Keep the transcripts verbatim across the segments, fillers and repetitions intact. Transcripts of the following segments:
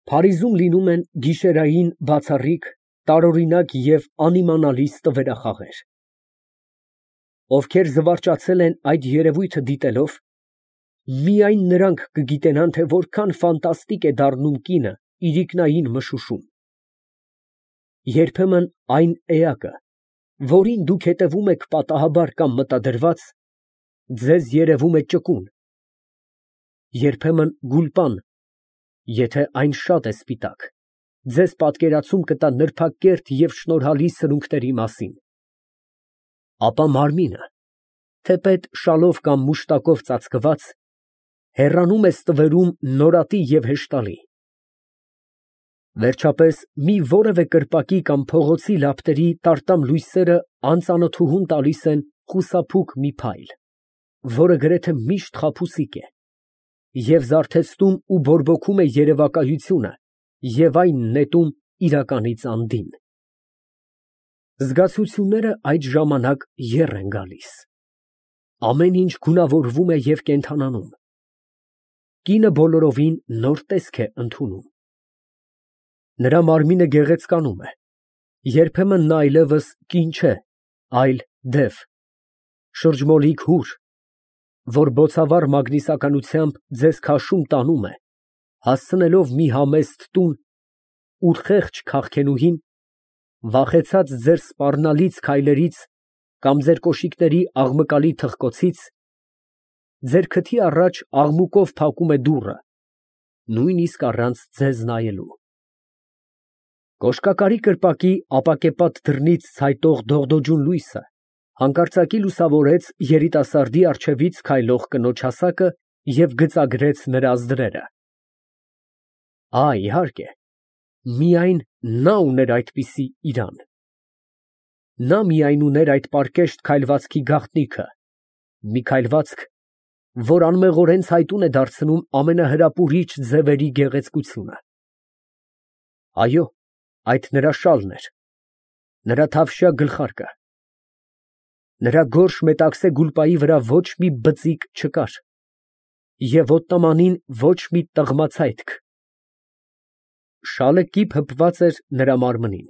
Փարիզում լինում են գիշերային բացառիկ, տարօրինակ և անիմանալից տվերախաղեր։ Ովքեր զվարճացել են այդ երևույթը դիտելով, միայն նրանք կգիտենան, թե որքան ֆանտաստիկ է դառնում կինը իրիկնային մշուշում։ Երբեմն այն էակը, որին դուք հետևում եք պատահաբար կամ մտադրված, ձեզ երևում է ճկուն, երբեմն գուլպան, եթե այն շատ է սպիտակ, ձեզ պատկերացում կտա նրբակերտ և շնորհալի սրունքների մասին, ապա մարմինը, թեպետ շալով կամ մուշտակով ծածկված, հեռանում է ստվերում նորատի և հեշտալի։ Վերջապես, մի որևէ կրպակի կամ փողոցի լապտերի տարտամ լույսերը անծանոթուհուն տալիս են խուսափուկ մի փայլ, որը գրեթե միշտ խաբուսիկ է, և զարթեցնում ու բորբոքում է երևակայությունը և այն նետում իրականից անդին։ Զգացությունները այդ ժամանակ եռ են գալիս, ամեն ինչ գունավորվում է և կենդանանում, կինը բոլորովին նոր տեսք է ընդունում։ Նրա մարմինը գեղեցկանում է, երբեմն նա այլևս կին չէ, այլ դև, շրջմոլիկ հուր, որ բոցավառ մագնիսականությամբ ձեզ քաշում տանում է, հասցնելով մի համեստ տուն, ուր խեղճ քաղքենուհին, վախեցած ձեր սպառնալից քայլերից կամ ձեր կոշիկների աղմկալի թխկոցից, ձեր քթի առաջ աղմուկով փակում է դուռը, նույնիսկ առանց ձեզ նայելու։ Կոշկակարի կրպակի ապակեպատ դռնից ցայտող դողդոջուն լույսը հանկարծակի լուսավորեց երիտասարդի առջևից քայլող կնոջ հասակը և գծագրեց նրա ազդրերը։ Ա, իհարկե, միայն նա ուներ այդպիսի իրան։ Նա միայն ուներ այդ պարկեշտ քայլվածքի գաղտնիքը, մի քայլվածք, որ անմեղորեն ցայտուն է դարձնում ամենահրապուրիչ ձևերի գեղեցկությունը։ Այո, այդ նրա շալն էր, նրա թավշյա գլխարկը։ Նրա գորշ մետաքսե գուլպայի վրա ոչ մի բծիկ չկար և ոտնամանին ոչ մի տղմացայթք։ Շալը կիպ հպված էր նրա մարմնին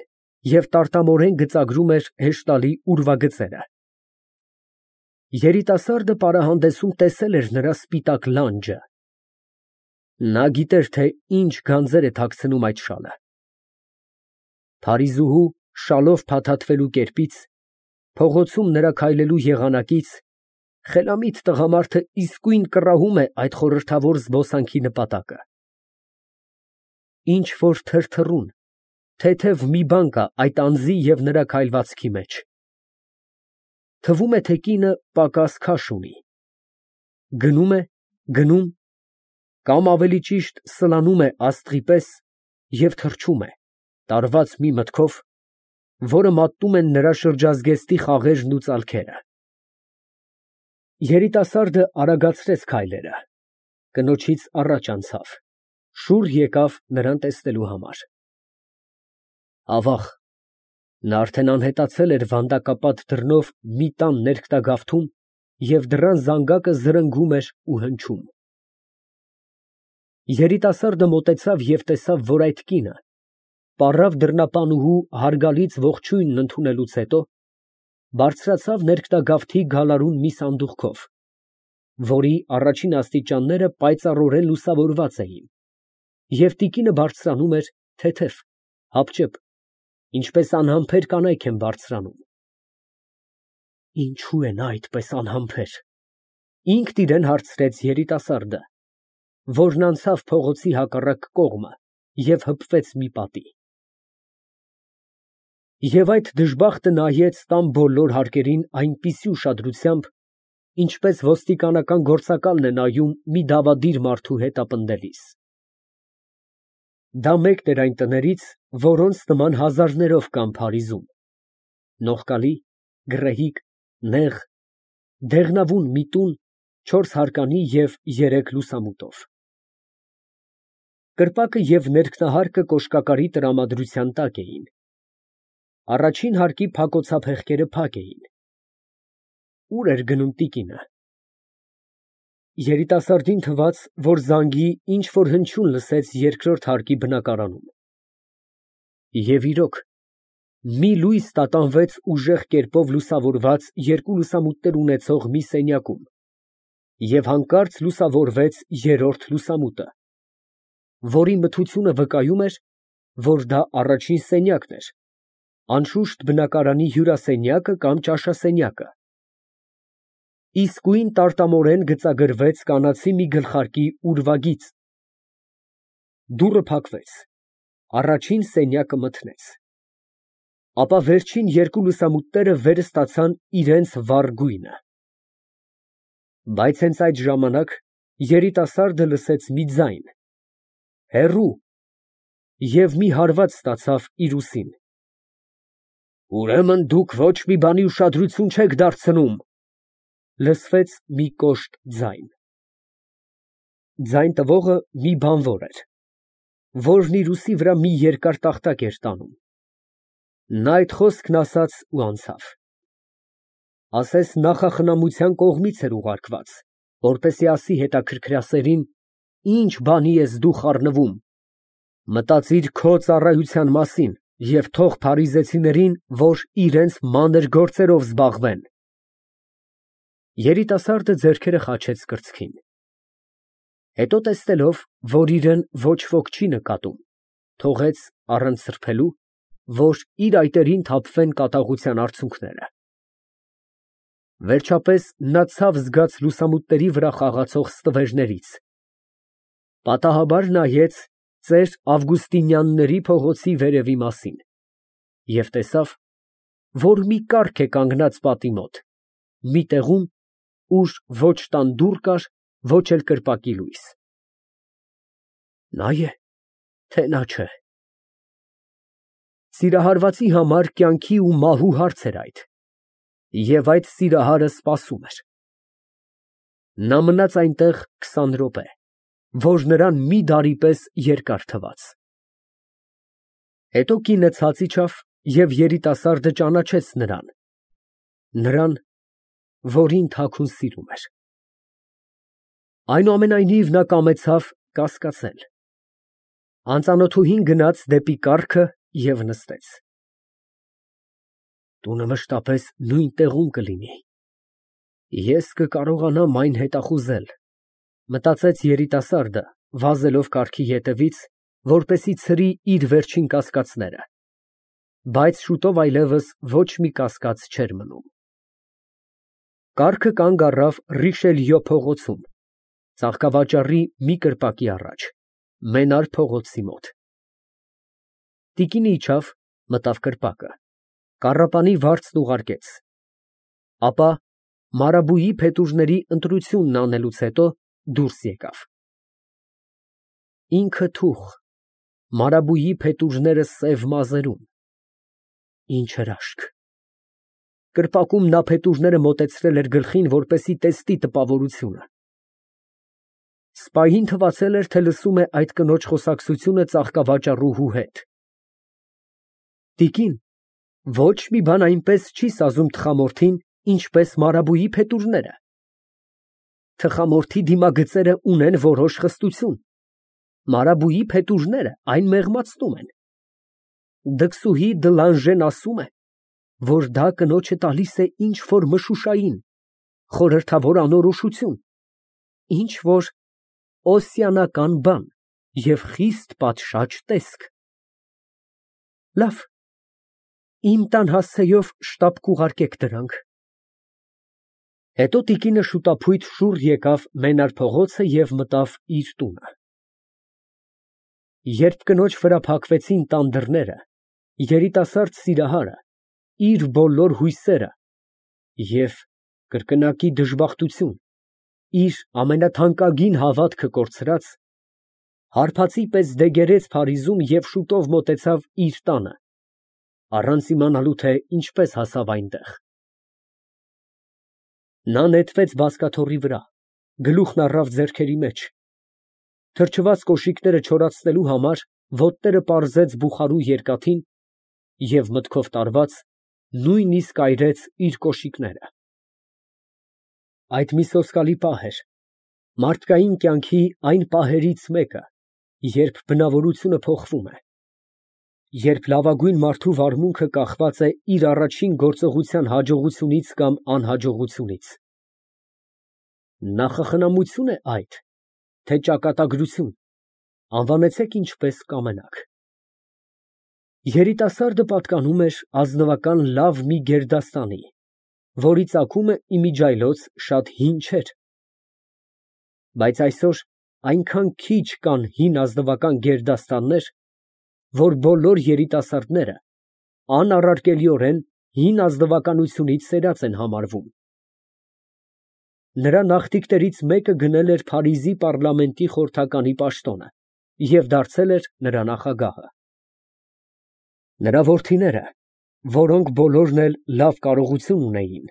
և տարտամորեն գծագրում էր հեշտալի ուրվագծերը։ Երիտասարդը պարահանդեսում տեսել էր նրա սպիտակ լանջը։ Նա գիտեր, թե ինչ գանձեր է թաքցնում այդ շալը։ Փարիզուհու շալով փաթաթվելու կերպից, փողոցում նրա քայլելու եղանակից, խելամիտ տղամարդը իսկույն կռահում է այդ խորհրդավոր զբոսանքի նպատակը։ Ինչ֊որ թրթռուն, թեթև մի բան կա այդ անձի և նրա քայլվածքի մեջ։ Թվում է, թե կինը պակաս քաշ ունի, գնում է, գնում, կամ ավելի ճիշտ սլանում է աստղի պես և թռչում է, տարված մի մտքով, որը մատնում են նրա շրջազգեստի խաղերն ու ծալքերը։ Երիտասարդը արագացրեց քայլերը, կնոջից առաջ անցավ, շուռ եկավ նրան տեսնելու համար։ Ավաղ, նա արդեն անհետացել էր վանդակապատ դռնով մի տան ներքտագավթում և դռան զանգակը զրնգում էր ու հնչում։ Երիտասարդը մոտեցավ և տեսավ, որ այդ կինը, պառավ դռնապանուհու հարգալից ողջույնն ընդունելուց հետո, բարձրացավ ներքտագավթի գալարուն մի սանդուղքով, որի առաջին աստիճանները պայծառորեն լուսավորված էին, և տիկինը բարձրանում էր թեթև, հապճեպ, ինչպես անհամբեր կանայք են բարձրանում։ Ինչո՞ւ է նա այդպես անհամբեր, ինքն իրան հարցրեց երիտասարդը, որն անցավ փողոցի հակառակ կողմը և հպվեց մի պատի։ Եվ այդ դժբախտը նայեց տան բոլոր հարկերին այնպիսի ուշադրությամբ, ինչպես ոստիկանական գործակալն է նայում մի դավադիր մարդու հետապնդելիս։ Դա մեկն էր այն տներից, որոնց նման հազարներով կան Փարիզում, նողկալի, գռեհիկ, նեղ, դեղնավուն մի տուն չորսհարկանի և երեք լուսամուտով։ Կրպակը և ներքնահարկը կոշկակարի տրամադրության տակ էին, առաջին հարկի փակոցափեղկերը փակ էին։ Ո՞ւր էր գնում տիկինը։ Երիտասարդին թվաց, որ զանգի ինչ֊որ հնչյուն լսեց երկրորդ հարկի բնակարանում։ Եվ իրոք, մի լույս տատանվեց ուժեղ կերպով լուսավորված երկու լուսամուտներ ունեցող մի սենյակում, և հանկարծ լուսավորվեց երրորդ լուսամուտը, որի մթությունը վկայում էր, որ դա առաջին սենյակն էր, անշուշտ բնակարանի հյուրասենյակը կամ ճաշասենյակը։ Իսկույն տարտամորեն գծագրվեց կանացի մի գլխարկի ուրվագիծ։ Դուռը փակվեց, առաջին սենյակը մթնեց, ապա վերջին երկու լուսամուտները վեր ստացան իրենց վառ գույնը։ Բայց հենց այդ ժամանակ երիտասարդը լսեց մի ձայն, հեռու, և մի հարված ստացավ իր ուսին։ «Ուրեմն դուք ոչ մի բանի ուշադրություն չեք դարձնում», ֊ լսվեց մի կոշտ ձայն։ Ձայն տվողը մի բանվոր էր, որն իր ուսի վրա մի երկար տախտակ էր տանում։ Նա այդ խոսքն ասաց ու անցավ։ Ասես նախախնամության կողմից էր ուղարկված, որպեսզի ասի հետաքրքրասերին. «Ի՞նչ բանի ես դու խառնվում, մտածիր քո ծառայության մասին և թող փարիզեցիներին, որ իրենց մանր գործերով զբաղվեն»։ Երիտասարդը ձեռքերը խաչեց կրծքին։ Հետո տեսնելով, որ իրան ոչ ոք չի նկատում, թողեց առանց սրբելու, որ իր այտերին թափվեն կատաղության արցունքները։ Վերջապես նա ցավ զգաց լուսամուտների վրա խաղացող ստվերներից, պատահաբար նայեց ծեր Ավգուստինյանների փողոցի վերևի մասին և տեսավ, որ մի կառք է կանգնած պատի մոտ, մի տեղում, ուր ոչ տան դուռ կար, ոչ էլ կրպակի լույս։ Նա է, թե նա չէ։ Սիրահարվածի համար կյանքի ու մահու հարց էր այդ, և այդ սիրահարը սպասում էր։ Նա մնաց այնտեղ քսան րոպե, որ նրան մի դարի պես երկար թվաց։ Հետո կինը ցած իջավ և երիտասարդը ճանաչեց նրան, նրան, որին թաքուն սիրում էր։ Այնուամենայնիվ նա կամեցավ կասկածել։ Անծանոթուհին գնաց դեպի կառքը և նստեց։ Տունը մշտապես նույն տեղում կլինի, ես կկարողանամ այն հետախուզել, մտածեց երիտասարդը, վազելով կառքի ետևից, որպեսզի ցրի իր վերջին կասկածները, բայց շուտով այլևս ոչ մի կասկած չէր մնում։ Կառքը կանգ առավ Ռիշելյո փողոցում, ծաղկավաճառի մի կրպակի առաջ, մենար փողոցի մոտ։ Տիկինը իջավ, մտավ կրպակը, կառապանի վարձն ուղարկեց, ապա մարաբուի փետուրների ընտրությունն անելուց հետո դուրս եկավ։ Ինքը թուղ, մարաբուի փետուրները սև մազերում, ինչ հրաշք։ Կրպակում նա փետուրները մոտեցրել էր գլխին, որպեսզի տեսնի տպավորությունը։ Սպային թվացել էր, թե լսում է այդ կնոջ խոսակցությունը ծաղկավաճառուհու հետ։ Տիկին, ոչ մի բան այնպես չի սազում թխամորթին, ինչպես մարաբուի փետուրները։ Թխամորթի դիմագծերը ունեն որոշ խստություն, մարաբուի փետուրները այն մեղմացնում են։ Դքսուհի Դլանժեն ասում է, որ դա կնոջը տալիս է ինչ֊որ մշուշային, խորհրդավոր անորոշություն, ինչ֊որ օսիանական բան և խիստ պատշաճ տեսք։ Լավ, իմ տան հասցեով շտապ կուղարկեք դրանք։ Հետո տիկինը շուտափույթ շուռ եկավ Մենար փողոցը և մտավ իր տունը։ Երբ կնոջ վրա փակվեցին տան դռները, երիտասարդ սիրահարը իր բոլոր հույսերը և կրկնակի դժբախտություն, իր ամենաթանկագին հավատքը կորցրած, հարբածի պես դեգերեց Փարիզում և շուտով մոտեցավ իր տանը, առանց իմանալու, թե ինչպես հասավ այնտեղ։ Նա նետվեց բազկաթոռի վրա, գլուխն առավ ձեռքերի մեջ, թրջված կոշիկները չորացնելու համար ոտները պարզեց բուխարու երկաթին և մտքով տարված, նույնիսկ այրեց իր կոշիկները։ Այդ մի սոսկալի պահ էր, Մարդկային կյանքի այն պահերից մեկը, երբ բնավորությունը փոխվում է, երբ լավագույն մարդու վարմունքը կախված է իր առաջին գործողության հաջողությունից կամ անհաջողությունից։ Նախախնամությո՞ւն է այդ, թե ճակատագրություն, անվանեցեք ինչպես կամենաք։ Երիտասարդը պատկանում էր ազնվական լավ մի գերդաստանի, որի ծագումը իմիջիայլոց շատ հին չէր։ Բայց այսօր այնքան քիչ կան հին ազնվական գերդաստաններ, որ բոլոր երիտասարդները անառարկելիորեն հին ազնվականությունից սերած են համարվում։ Նրա նախնիքներից մեկը գնել էր Փարիզի պառլամենտի խորհրդականի պաշտոնը և դարձել էր նրա նախագահը։ Նրա որդիները, որոնք բոլորն էլ լավ կարողություն ունեին,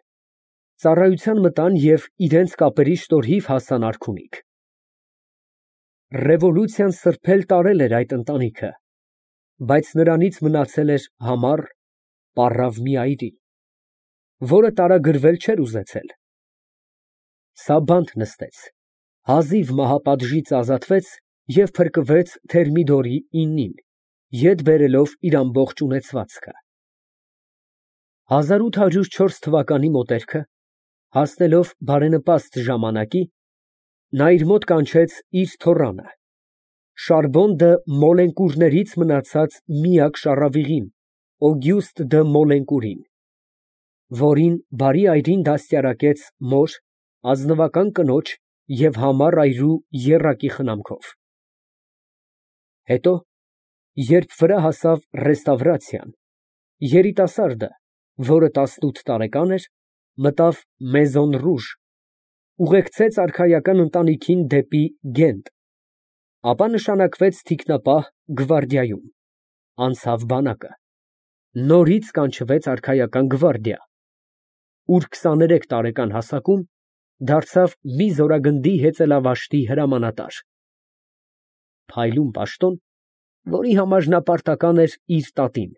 ծառայության մտան և իրենց կապերի շնորհիվ հասան արքունիք։ Ռևոլյուցիան սրբել տարել էր այդ ընտանիքը, բայց նրանից մնացել էր համառ, պառավ մի այրի, որը տարագրվել չէր ուզեցել։ Սա բանտ նստեց, հազիվ մահապատժից ազատվեց և փրկվեց Թերմիդորի իննին, ետ բերելով իր ամբողջ ունեցվածքը։ հազար ութ հարյուր չորս թվականի մոտերքը, հասնելով բարենպաստ ժամանակի, նա իր մոտ կանչեց իր թոռանը, Շարբոն դը Մոլենկուրներից մնացած միակ շառավիղին, Օգյուստը դը Մոլենկուրին, որին բարի այրին դաստիարակեց մոր, ազնվական կնոջ և համառ այրու եռակի խնամքով։ Հետո, երբ վրա հասավ ռեստավրացիան, երիտասարդը, որը տասնութ տարեկան էր, մտավ Մեզոն Ռուժ, ուղեկցեց արքայական ընտանիքին դեպի Գենտ, ապա նշանակվեց թիկնապահ գվարդիայում, անցավ բանակը, նորից կանչվեց արքայական գվարդիա, ուր քսաներեք տարեկան հասակում դարձավ մի զորագնդի հեծելավաշտի հրամանատար, փայլուն պաշտոն, որի համար նա պարտական էր իր տատին,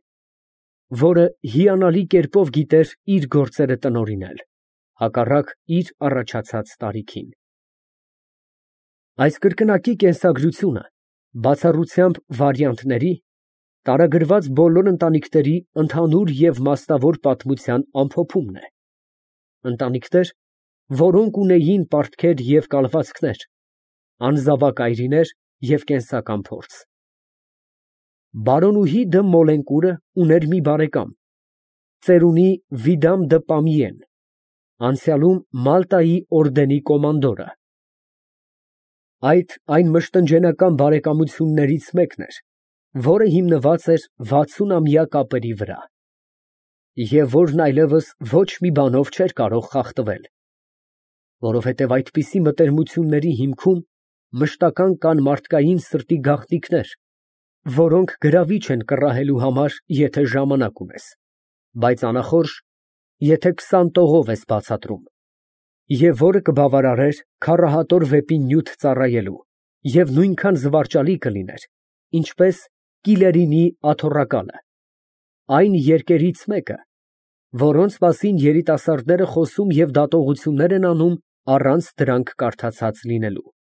որը հիանալի կերպով գիտեր իր գործերը տնօրինել, հակառակ իր առաջացած տարիքին։ Այս կրկնակի կենսագրությունը, բացառությամբ վարիանտների, տարագրված բոլոր ընտանիքների ընդհանուր և մասնավոր պատմության ամփոփումն է, ընտանիքներ, որոնք ունեին պարտքեր և կալվածքներ, անզավակ այրիներ և կենսական փորձ։ Բարոնուհի դը Մոլենկուրը ուներ մի բարեկամ, ծերունի Վիդամ դը Պամիեն, անցյալում Մալտայի օրդենի կոմանդորը։ Այդ այն մշտնջենական բարեկամություններից մեկն էր, որը հիմնված էր վաթսունամյա կապերի վրա, և որն այլևս ոչ մի բանով չէր կարող խախտվել, որովհետև այդպիսի մտերմությունների հիմքում մշտական կան մարդկային սրտի գաղտնիքներ, որոնք գրավիչ են կռահելու համար, եթե ժամանակ ունես, բայց անախորժ, եթե քսան տողով ես բացատրում, և որը կբավարարեր քառահատոր վեպի նյութ ծառայելու և նույնքան զվարճալի կլիներ, ինչպես Կիլերինի աթոռակալը, այն երկերից մեկը, որոնց մասին երիտասարդները խոսում և դատողություններ են անում առանց դրանք կարդացած լինելու։